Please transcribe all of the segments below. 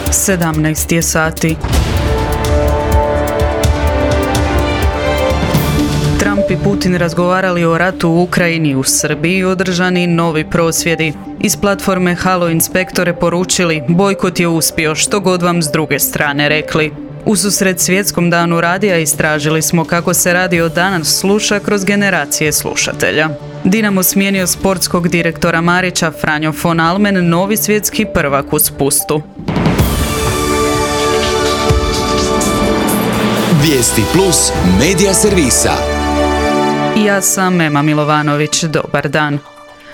17 je sati. Trump i Putin razgovarali o ratu u Ukrajini. U Srbiji održani novi prosvjedi. Iz platforme Halo inspektore poručili: bojkot je uspio, što god vam s druge strane rekli. Ususret Svjetskom danu radija istražili smo kako se radio danas sluša kroz generacije slušatelja. Dinamo smijenio sportskog direktora Marića, Franjo von Almen, novi svjetski prvak u spustu. Vijesti plus medija servisa. Ja sam Ema Milovanović, dobar dan.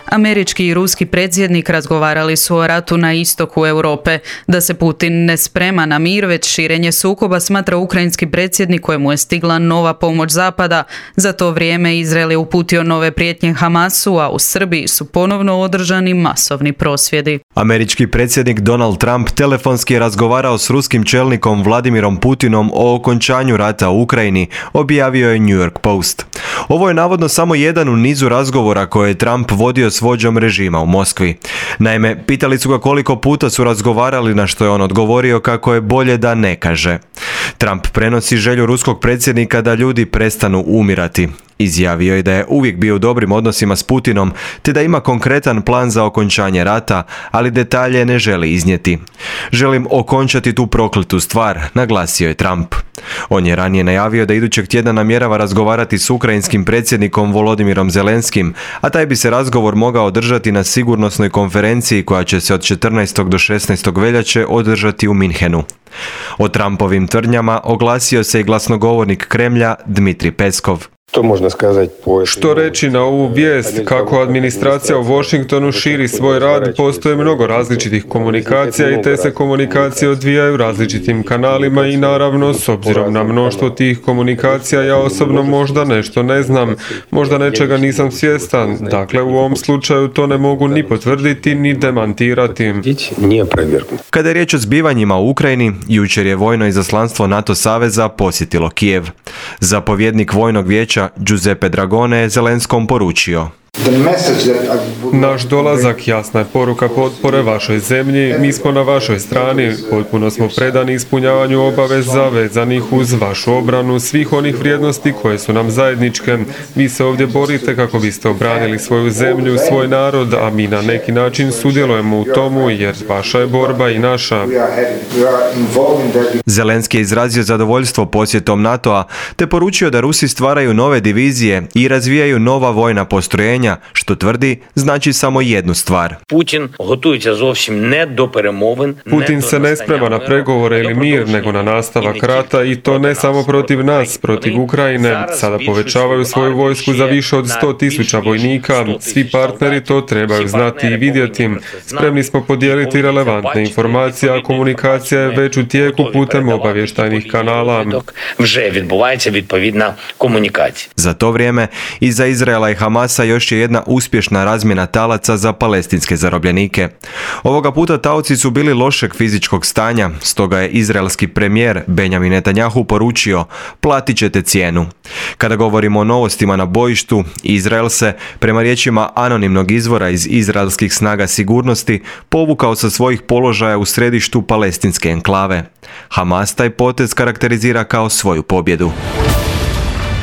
Američki i ruski predsjednik razgovarali su o ratu na istoku Europe. Da se Putin ne sprema na mir, već širenje sukoba, smatra ukrajinski predsjednik kojemu je stigla nova pomoć Zapada. Za to vrijeme Izrael je uputio nove prijetnje Hamasu, a u Srbiji su ponovno održani masovni prosvjedi. Američki predsjednik Donald Trump telefonski je razgovarao s ruskim čelnikom Vladimirom Putinom o okončanju rata u Ukrajini, objavio je New York Post. Ovo je navodno samo jedan u nizu razgovora koje je Trump vodio s vođom režima u Moskvi. Naime, pitali su ga koliko puta su razgovarali, na što je on odgovorio kako je bolje da ne kaže. Trump prenosi želju ruskog predsjednika da ljudi prestanu umirati. Izjavio je da je uvijek bio u dobrim odnosima s Putinom, te da ima konkretan plan za okončanje rata, ali detalje ne želi iznijeti. Želim okončati tu prokletu stvar, naglasio je Trump. On je ranije najavio da idućeg tjedna namjerava razgovarati s ukrajinskim predsjednikom Volodimirom Zelenskim, a taj bi se razgovor mogao održati na sigurnosnoj konferenciji koja će se od 14. do 16. veljače održati u Minhenu. O Trumpovim tvrdnjama oglasio se i glasnogovornik Kremlja Dmitrij Peskov. Što reći na ovu vijest, kako administracija u Washingtonu širi svoj rad, postoje mnogo različitih komunikacija i te se komunikacije odvijaju različitim kanalima i naravno, s obzirom na mnoštvo tih komunikacija, ja osobno možda nešto ne znam, možda nečega nisam svjestan, dakle u ovom slučaju to ne mogu ni potvrditi ni demantirati. Kada je riječ o zbivanjima u Ukrajini, jučer je vojno izaslanstvo NATO saveza posjetilo Kijev. Zapovjednik vojnog vijeća Giuseppe Dragone je Zelenskom poručio: naš dolazak jasna je poruka potpore vašoj zemlji, mi smo na vašoj strani, potpuno smo predani ispunjavanju obaveza vezanih uz vašu obranu svih onih vrijednosti koje su nam zajedničke. Vi se ovdje borite kako biste obranili svoju zemlju, svoj narod, a mi na neki način sudjelujemo u tomu jer vaša je borba i naša. Zelenski je izrazio zadovoljstvo posjetom NATO-a te poručio da Rusi stvaraju nove divizije i razvijaju nova vojna postrojenja, što tvrdi znači samo jednu stvar. Putin se ne sprema na pregovore ili mir, nego na nastavak rata i to ne samo protiv nas, protiv Ukrajine. Sada povećavaju svoju vojsku za više od 100.000 vojnika. Svi partneri to trebaju znati i vidjeti. Spremni smo podijeliti relevantne informacije, a komunikacija je već u tijeku putem obavještajnih kanala. Za to vrijeme iza Izraela i Hamasa još je jedna uspješna razmjena talaca za palestinske zarobljenike. Ovoga puta taoci su bili lošeg fizičkog stanja, stoga je izraelski premijer Benjamin Netanjahu poručio: platit ćete cijenu. Kada govorimo o novostima na bojištu, Izrael se, prema riječima anonimnog izvora iz izraelskih snaga sigurnosti, povukao sa svojih položaja u središtu palestinske enklave. Hamas taj potez karakterizira kao svoju pobjedu.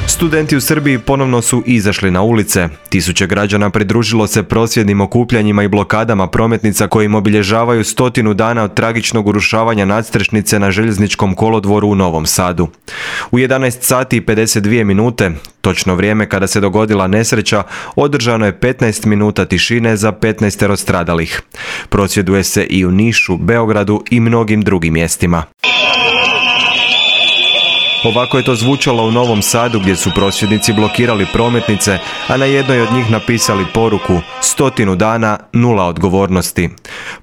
Studenti u Srbiji ponovno su izašli na ulice. Tisuće građana pridružilo se prosvjednim okupljanjima i blokadama prometnica kojim obilježavaju 100 dana od tragičnog urušavanja nadstrešnice na željezničkom kolodvoru u Novom Sadu. U 11 sati i 52 minute, točno vrijeme kada se dogodila nesreća, održano je 15 minuta tišine za 15 stradalih. Prosvjeduje se i u Nišu, Beogradu i mnogim drugim mjestima. Ovako je to zvučalo u Novom Sadu gdje su prosvjednici blokirali prometnice, a na jednoj od njih napisali poruku: 100 dana, 0 odgovornosti.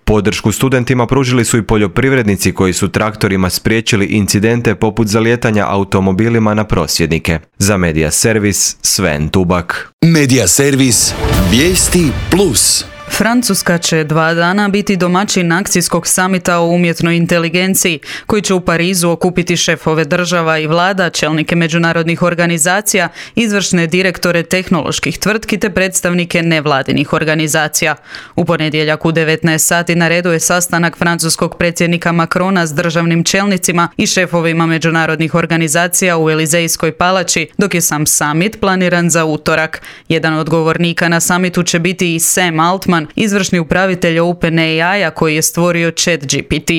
Podršku studentima pružili su i poljoprivrednici koji su traktorima spriječili incidente poput zalijetanja automobilima na prosvjednike. Za Medija Servis, Sven Tubak. Medija Servis, vijesti plus. Francuska će 2 dana biti domaćin akcijskog samita o umjetnoj inteligenciji, koji će u Parizu okupiti šefove država i vlada, čelnike međunarodnih organizacija, izvršne direktore tehnoloških tvrtki te predstavnike nevladinih organizacija. U ponedjeljak u 19 sati na redu je sastanak francuskog predsjednika Macrona s državnim čelnicima i šefovima međunarodnih organizacija u Elizejskoj palači, dok je sam summit planiran za utorak. Jedan od govornika na summitu će biti i Sam Altman, izvršni upravitelj OpenAI-a koji je stvorio ChatGPT.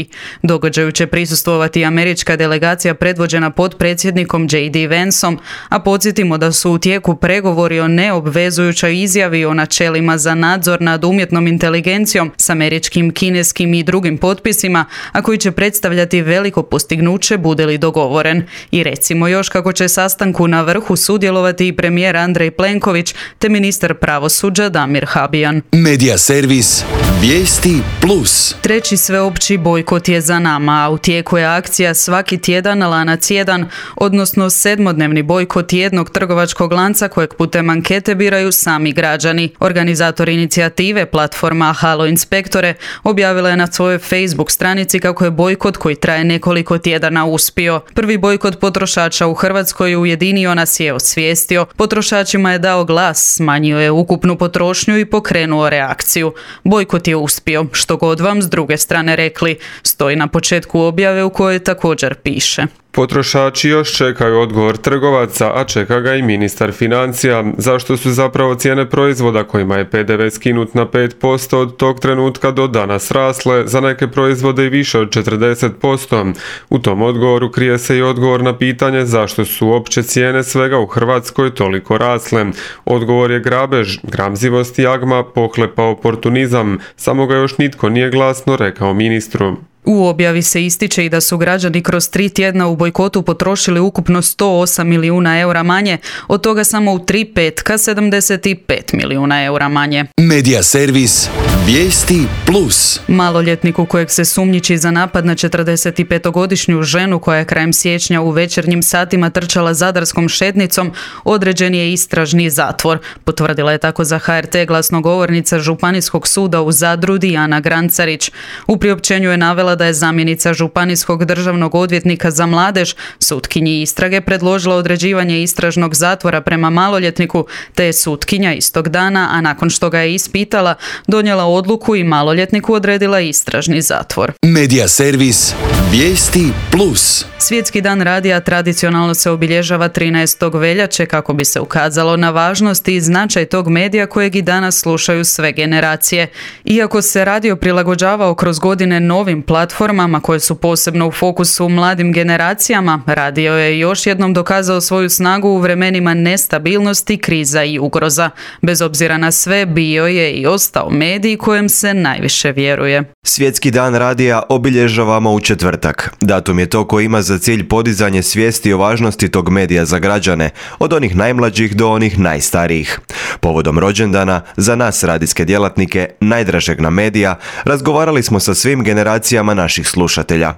Događaju će prisustvovati američka delegacija predvođena potpredsjednikom J.D. Vanceom, a podsjetimo da su u tijeku pregovori o neobvezujućoj izjavi o načelima za nadzor nad umjetnom inteligencijom s američkim, kineskim i drugim potpisima, a koji će predstavljati veliko postignuće bude li dogovoren. I recimo još kako će sastanku na vrhu sudjelovati i premijer Andrej Plenković te ministar pravosuđa Damir Habijan. Medija servis Vijesti Plus. Treći sveopći bojkot je za nama, a u tijeku je akcija Svaki tjedan lanac 1, odnosno 7-dnevni bojkot jednog trgovačkog lanca kojeg putem ankete biraju sami građani. Organizator inicijative, platforma Halo Inspektore, objavila je na svojoj Facebook stranici kako je bojkot koji traje nekoliko tjedana uspio. Prvi bojkot potrošača u Hrvatskoj ujedinio nas je, osvijestio, potrošačima je dao glas, smanjio je ukupnu potrošnju i pokrenuo reakciju. Bojkot je uspio, što god vam s druge strane rekli, stoji na početku objave u kojoj također piše. Potrošači još čekaju odgovor trgovaca, a čeka ga i ministar financija. Zašto su zapravo cijene proizvoda kojima je PDV skinut na 5% od tog trenutka do danas rasle, za neke proizvode i više od 40%? U tom odgovoru krije se i odgovor na pitanje zašto su opće cijene svega u Hrvatskoj toliko rasle. Odgovor je grabež, gramzivost i jagma, pohlepa oportunizam, samo ga još nitko nije glasno rekao ministru. U objavi se ističe i da su građani kroz 3 tjedna u bojkotu potrošili ukupno 108 milijuna eura manje, od toga samo u 3 petka 75 milijuna eura manje. Medija servis Vijesti Plus. Maloljetniku kojeg se sumnjiči za napad na 45-godišnju ženu koja je krajem siječnja u večernjim satima trčala zadarskom šetnicom, određen je istražni zatvor. Potvrdila je tako za HRT glasnogovornica Županijskog suda u Zadru Dijana Grancarić. U priopćenju je navela da je zamjenica Županijskog državnog odvjetnika za mladež sutkinji istrage predložila određivanje istražnog zatvora prema maloljetniku, te je sutkinja istog dana, a nakon što ga je ispitala, donijela odluku i maloljetniku odredila istražni zatvor. Medija servis Vijesti Plus. Svjetski dan radija tradicionalno se obilježava 13. veljače kako bi se ukazalo na važnost i značaj tog medija kojeg i danas slušaju sve generacije. Iako se radio prilagođavao kroz godine novim platformama koje su posebno u fokusu mladim generacijama, radio je još jednom dokazao svoju snagu u vremenima nestabilnosti, kriza i ugroza. Bez obzira na sve, bio je i ostao medij kojem se najviše vjeruje. Svjetski dan radija obilježavamo u četvrtak. Datum je to koji ima za cilj podizanje svijesti o važnosti tog medija za građane, od onih najmlađih do onih najstarijih. Povodom rođendana, za nas radijske djelatnike, najdražeg nam medija, razgovarali smo sa svim generacijama naših slušatelja.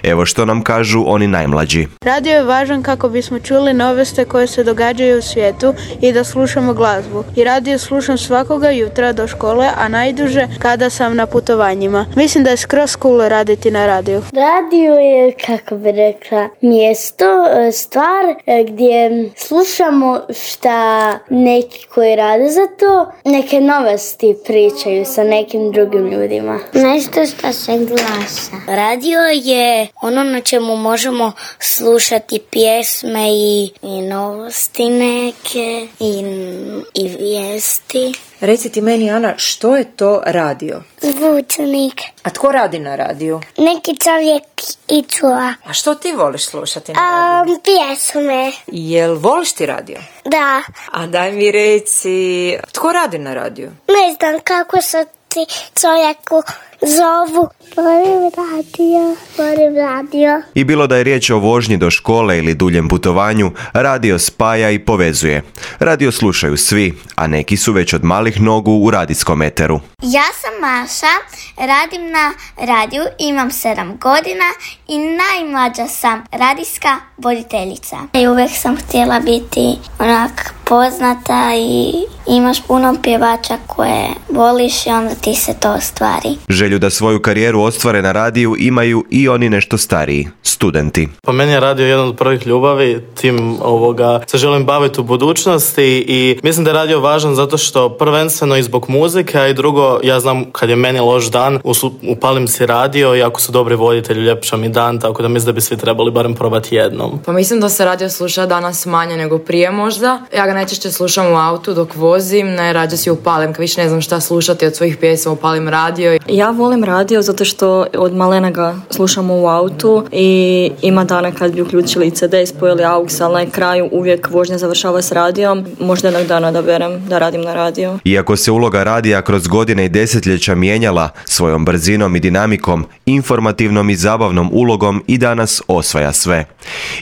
Evo što nam kažu oni najmlađi. Radio je važan kako bismo čuli novosti koje se događaju u svijetu i da slušamo glazbu. I radio slušam svakoga jutra do škole, a najduže kada sam na putovanjima. Mislim da je skroz cool raditi na radiju. Radio je, kako bi rekla, mjesto, stvar gdje slušamo šta neki koji rade za to, neke novosti pričaju sa nekim drugim ljudima. Nešto što se glasa. Radio je ono na čemu možemo slušati pjesme i novosti neke i vijesti. Reci ti meni, Ana, što je to radio? Zvučnik. A tko radi na radiju? Neki čovjek i čuva. A što ti voliš slušati na radiju? Pjesme. Jel voliš ti radio? Da. A daj mi reci, tko radi na radiju? Ne znam kako se ti čovjeku zovu. Volim radio. I bilo da je riječ o vožnji do škole ili duljem putovanju, radio spaja i povezuje. Radio slušaju svi, a neki su već od malih nogu u radijskom eteru. Ja sam Maša, radim na radiju, imam 7 godina i najmlađa sam radijska voditeljica. I uvijek sam htjela biti onak poznata i imaš puno pjevača koje voliš i onda ti se to ostvari. Želju da svoju karijeru ostvare na radiju imaju i oni nešto stariji, studenti. Po meni je radio jedan od prvih ljubavi, tim se želim baviti u budućnosti i mislim da je radio važan zato što prvenstveno i zbog muzike, a i drugo, ja znam kad je meni loš dan, upalim si radio i ako su dobri voditelji, ljepša mi dan, tako da mislim da bi svi trebali barem probati jednom. Pa mislim da se radio sluša danas manje nego prije možda. Ja ga najčešće slušam u autu dok vozim, najrađe si upalim, kad više ne znam šta slušati od svojih pjesma, upalim radio. Ja volim radio zato što od malena ga slušamo u autu i ima dana kad bi uključili CD i spojili AUX, ali na kraju uvijek vožnja završava s radijom. Možda jednog dana da berem da radim na radio. Iako se uloga radija kroz godine i desetljeća mijenjala, svojom brzinom i dinamikom, informativnom i zabavnom ulogom i danas osvaja sve.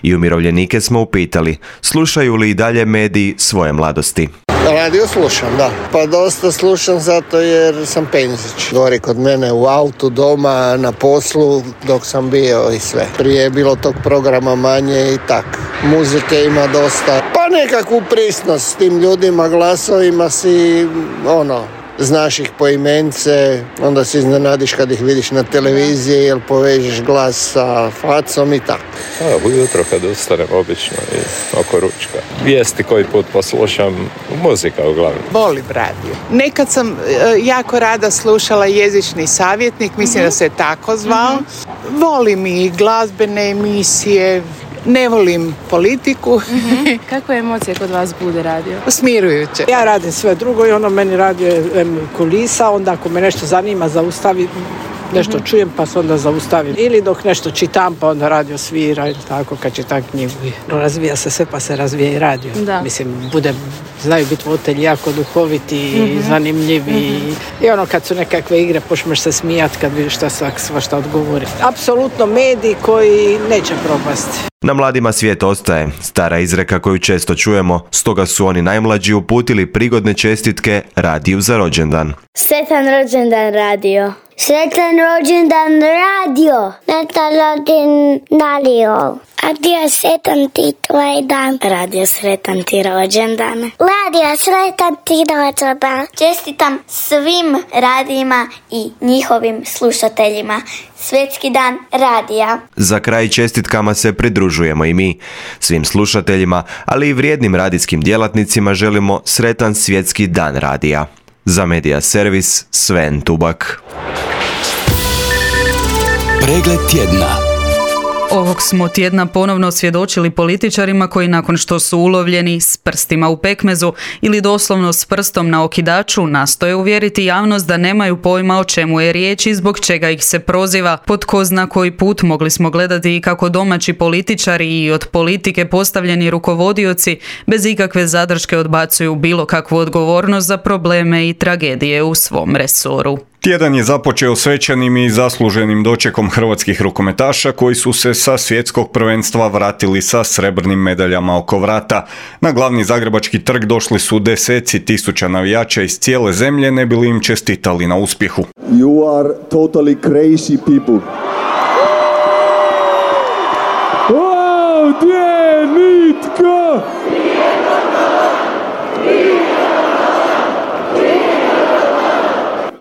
I umirovljenike smo upitali, slušaju li i dalje mediji svoje mladosti? Radio slušam, da. Pa dosta slušam zato jer sam penzić. Gori kod mene u autu, doma, na poslu dok sam bio i sve. Prije je bilo tog programa manje i tak. Muzike ima dosta. Pa nekakvu prisnost s tim ljudima, glasovima si, znaš ih po imence, onda se iznenadiš kad ih vidiš na televiziji, jer povežeš glas sa facom i tako. Ujutro kad ustanem obično i oko ručka. Vijesti koji put poslušam, muzika uglavnom. Volim radio. Nekad sam jako rada slušala Jezični savjetnik, mislim da se tako zvao. Volim i glazbene emisije. Ne volim politiku. Kakve emocije kod vas bude radio? Smirujuće. Ja radim sve drugo i meni radio je kulisa, onda ako me nešto zanima zaustavim, nešto čujem pa se onda zaustavim. Ili dok nešto čitam pa onda radio svira ili tako kad čitam knjigu. Razvija se sve pa se razvija i radio. Da. Mislim, znaju biti voditelji jako duhoviti i zanimljivi. I kad su nekakve igre počneš se smijati kad vidiš šta odgovori. Apsolutno mediji koji neće propasti. Na mladima svijet ostaje, stara izreka koju često čujemo, stoga su oni najmlađi uputili prigodne čestitke radiju za rođendan. Sretan rođendan radio. Sretan rođendan radio. Sretan rođendan radio. Radio, sretan ti tvoj dan. Radio, sretan ti rođendan. Radio, sretan ti rođendan. Čestitam svim radijima i njihovim slušateljima. Svjetski dan radija. Za kraj čestitkama se pridružujemo i mi. Svim slušateljima, ali i vrijednim radijskim djelatnicima želimo sretan svjetski dan radija. Za Medija servis Sven Tubak. Pregled tjedna. Ovog smo tjedna ponovno svjedočili političarima koji nakon što su ulovljeni s prstima u pekmezu ili doslovno s prstom na okidaču nastoje uvjeriti javnost da nemaju pojma o čemu je riječ i zbog čega ih se proziva. Po tko zna koji put mogli smo gledati i kako domaći političari i od politike postavljeni rukovodioci bez ikakve zadrške odbacuju bilo kakvu odgovornost za probleme i tragedije u svom resoru. Tjedan je započeo svečanim i zasluženim dočekom hrvatskih rukometaša koji su se sa svjetskog prvenstva vratili sa srebrnim medaljama oko vrata. Na glavni zagrebački trg došli su deseci tisuća navijača iz cijele zemlje, ne bi li im čestitali na uspjehu. You are totally crazy people. Ovdje nitko!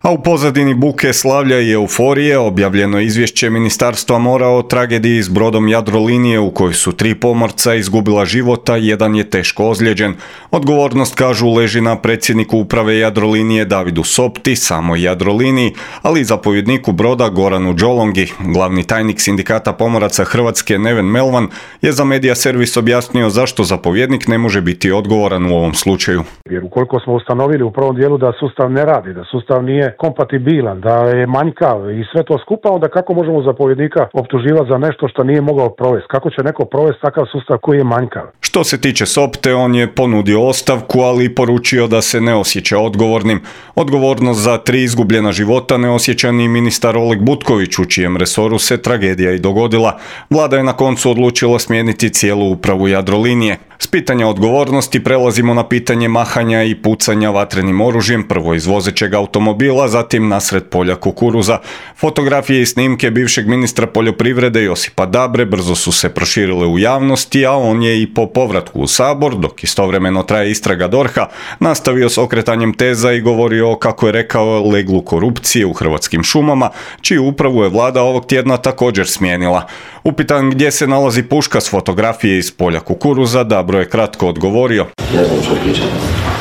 A u pozadini buke, slavlja i euforije objavljeno izvješće Ministarstva mora o tragediji s brodom Jadrolinije u kojoj su 3 pomorca izgubila života, jedan je teško ozlijeđen. Odgovornost, kažu, leži na predsjedniku uprave Jadrolinije Davidu Sopti, samoj Jadroliniji, ali i zapovjedniku broda Goranu Đolongi. Glavni tajnik Sindikata pomoraca Hrvatske Neven Melvan je za Medija servis objasnio zašto zapovjednik ne može biti odgovoran u ovom slučaju. Jer ukoliko smo ustanovili u prvom dijelu da sustav ne radi, da sustav nije nije kompatibilan, da je manjkav i sve to skupa, onda kako možemo zapovjednika optuživati za nešto što nije mogao provesti? Kako će neko provesti takav sustav koji je manjkav? Što se tiče Sopte, on je ponudio ostavku, ali poručio da se ne osjeća odgovornim. Odgovornost za 3 izgubljena života ne osjeća ni ministar Oleg Butković, u čijem resoru se tragedija i dogodila. Vlada je na koncu odlučila smijeniti cijelu upravu Jadrolinije. S pitanja odgovornosti prelazimo na pitanje mahanja i pucanja vatrenim oružjem, prvo iz vozećeg automobila, zatim nasred polja kukuruza. Fotografije i snimke bivšeg ministra poljoprivrede Josipa Dabre brzo su se proširile u javnosti, a on je i po povratku u Sabor, dok istovremeno traje istraga DORH-a, nastavio s okretanjem teza i govorio, kako je rekao, leglu korupcije u Hrvatskim šumama, čiju upravu je vlada ovog tjedna također smijenila. Upitan gdje se nalazi puška s fotografije iz polja kukuruza, Dabro je kratko odgovorio: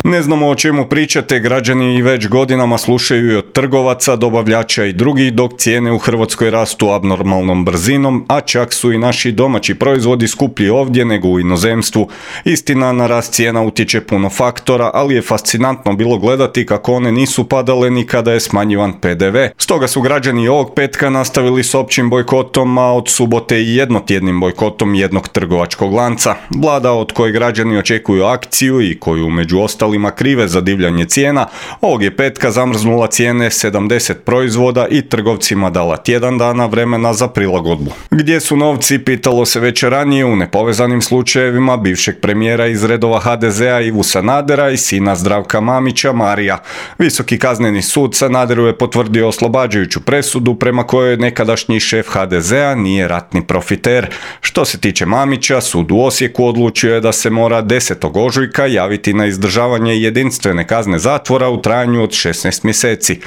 ne znamo o čemu pričate, građani i već godinama slušaju i od trgovaca, dobavljača i drugih, dok cijene u Hrvatskoj rastu abnormalnom brzinom, a čak su i naši domaći proizvodi skuplji ovdje nego u inozemstvu. Istina, na rast cijena utječe puno faktora, ali je fascinantno bilo gledati kako one nisu padale ni kada je smanjivan PDV. Stoga su građani ovog petka nastavili s općim bojkotom, a od subote i jednotjednim bojkotom jednog trgovačkog lanca. Vlada, od koje građani očekuju akciju i koju među ostalima krive za divljanje cijena, ovog je petka zamrznula cijene 70 proizvoda i trgovcima dala tjedan dana vremena za prilagodbu. Gdje su novci, pitalo se već ranije u nepovezanim slučajevima bivšeg premijera iz redova HDZ-a Ivu Sanadera i sina Zdravka Mamića, Marija. Visoki kazneni sud Sanaderu je potvrdio oslobađajuću presudu prema kojoj nekadašnji šef HDZ-a nije ratni profiter. Što se tiče Mamića, sud u Osijeku odlučio je da se mora 10. ožujka javiti na izdržavanje jedinstvene kazne zatvora u trajanju od 16 mjeseci.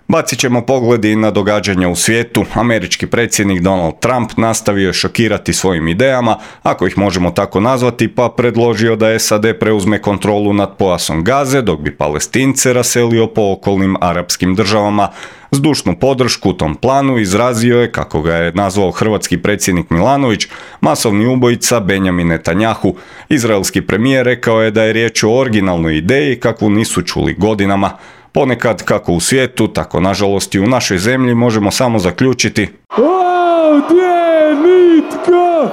Bacit ćemo pogledi na događanja u svijetu. Američki predsjednik Donald Trump nastavio je šokirati svojim idejama, ako ih možemo tako nazvati, pa predložio da SAD preuzme kontrolu nad pojasom Gaze, dok bi Palestince raselio po okolnim arapskim državama. Zdušnu podršku tom planu izrazio je, kako ga je nazvao hrvatski predsjednik Milanović, masovni ubojica Benjamin Netanjahu. Izraelski premijer rekao je da je riječ o originalnoj ideji kakvu nisu čuli godinama. Ponekad, kako u svijetu, tako nažalost i u našoj zemlji, možemo samo zaključiti: ovdje nitko!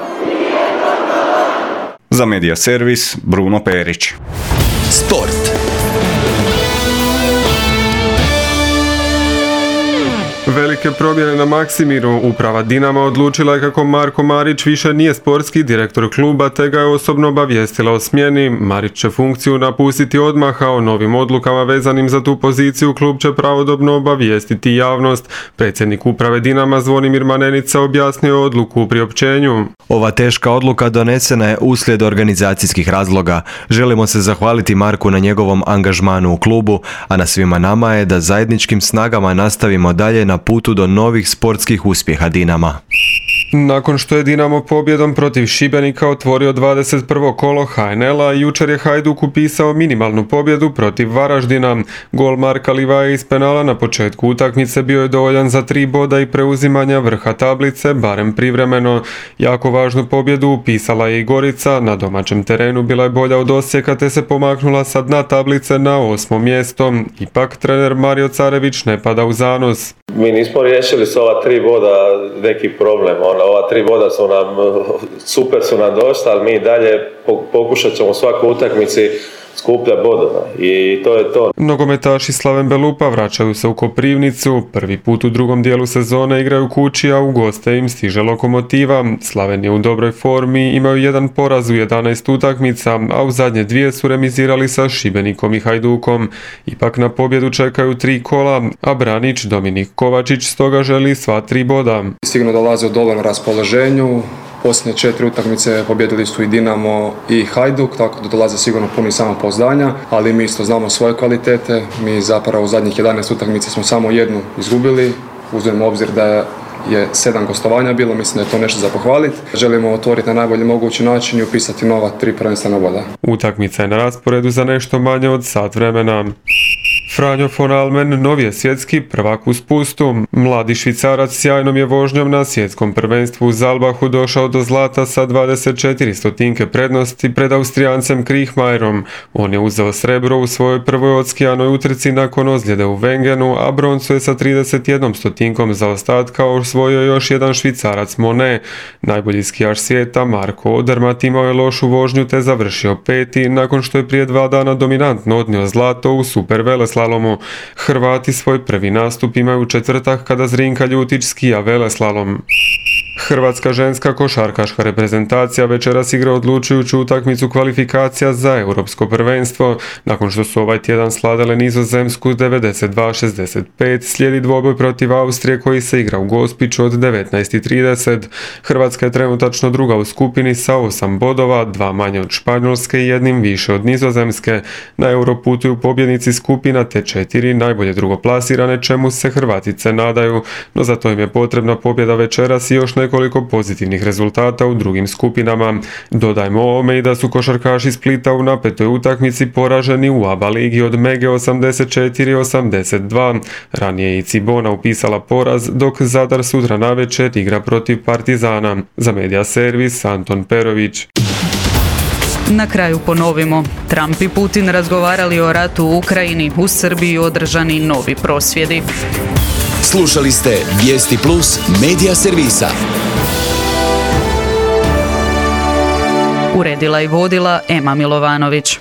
Za Medija servis, Bruno Perić. Sport. Velike promjene na Maksimiru. Uprava Dinama odlučila je kako Marko Marić više nije sportski direktor kluba, te ga je osobno obavijestila o smjeni. Marić će funkciju napustiti odmah, a o novim odlukama vezanim za tu poziciju klub će pravodobno obavijestiti javnost. Predsjednik uprave Dinama Zvonimir Manenica objasnio odluku u priopćenju. Ova teška odluka donesena je uslijed organizacijskih razloga. Želimo se zahvaliti Marku na njegovom angažmanu u klubu, a na svima nama je da zajedničkim snagama nastavimo dalje na putu do novih sportskih uspjeha Dinama. Nakon što je Dinamo pobjedom protiv Šibenika otvorio 21. kolo HNL-a, jučer je Hajduk upisao minimalnu pobjedu protiv Varaždina. Gol Marka Livaje iz penala na početku utakmice bio je dovoljan za 3 boda i preuzimanja vrha tablice, barem privremeno. Jako važnu pobjedu upisala je i Gorica, na domaćem terenu bila je bolja od Osijeka te se pomaknula sa dna tablice na 8. mjesto. Ipak trener Mario Carević ne pada u zanos. Mi nismo riješili s ova 3 boda neki problem. Ova 3 boda su nam, super su nam došla, ali mi dalje pokušat ćemo u svakoj utakmici skuplja bodova i to je to. Nogometaši Slaven Belupa vraćaju se u Koprivnicu. Prvi put u drugom dijelu sezone igraju kući, a u goste im stiže Lokomotiva. Slaven je u dobroj formi, imaju jedan poraz u 11 utakmica, a u zadnje 2 su remizirali sa Šibenikom i Hajdukom. Ipak na pobjedu čekaju 3 kola, a branič Dominik Kovačić stoga želi sva 3 boda. Sigurno dolaze u dobrom raspoloženju. Posljednje 4 utakmice pobjedili su i Dinamo i Hajduk, tako da dolaze sigurno puni samopouzdanja, ali mi isto znamo svoje kvalitete. Mi zapravo u zadnjih 11 utakmica smo samo jednu izgubili, uzmemo obzir da je 7 gostovanja bilo, mislim da je to nešto za pohvaliti. Želimo otvoriti na najbolji mogući način i upisati nova 3 prvenstvena boda. Utakmica je na rasporedu za nešto manje od sat vremena. Franjo von Almen novi je svjetski prvak u spustu. Mladi Švicarac sjajnom je vožnjom na svjetskom prvenstvu u Zalbahu došao do zlata sa 24 stotinke prednosti pred Austrijancem Kriechmayerom. On je uzeo srebro u svojoj prvoj odskijanoj utrci nakon ozljede u Wengenu, a broncu je sa 31 stotinkom zaostatka osvojio još jedan Švicarac Monet. Najbolji skijaš svijeta Marko Odermatt imao je lošu vožnju te završio peti nakon što je prije 2 dana dominantno odnio zlato u super veleslalomu. Hrvati svoj prvi nastup imaju u četvrtak kada Zrinka Ljutić skija veleslalom. Hrvatska ženska košarkaška reprezentacija večeras igra odlučujuću utakmicu kvalifikacija za europsko prvenstvo. Nakon što su ovaj tjedan sladale Nizozemsku 92-65, slijedi dvoboj protiv Austrije koji se igra u Gospiću od 19:30. Hrvatska je trenutačno druga u skupini sa 8 bodova, 2 manje od Španjolske i 1 više od Nizozemske. Na Euro putuju pobjednici skupina te 4 najbolje drugoplasirane, čemu se Hrvatice nadaju, no za to im je potrebna pobjeda večeras i još nekoliko pozitivnih rezultata u drugim skupinama. Dodajmo ovome i da su košarkaši Splita u napetoj utakmici poraženi u ABA ligi od Mege 84-82. Ranije je i Cibona upisala poraz, dok Zadar sutra navečer igra protiv Partizana. Za Media Servis Anton Perović. Na kraju ponovimo. Trump i Putin razgovarali o ratu u Ukrajini, u Srbiji održani novi prosvjedi. Slušali ste Vijesti Plus Media Servisa. Uredila i vodila Ema Milovanović.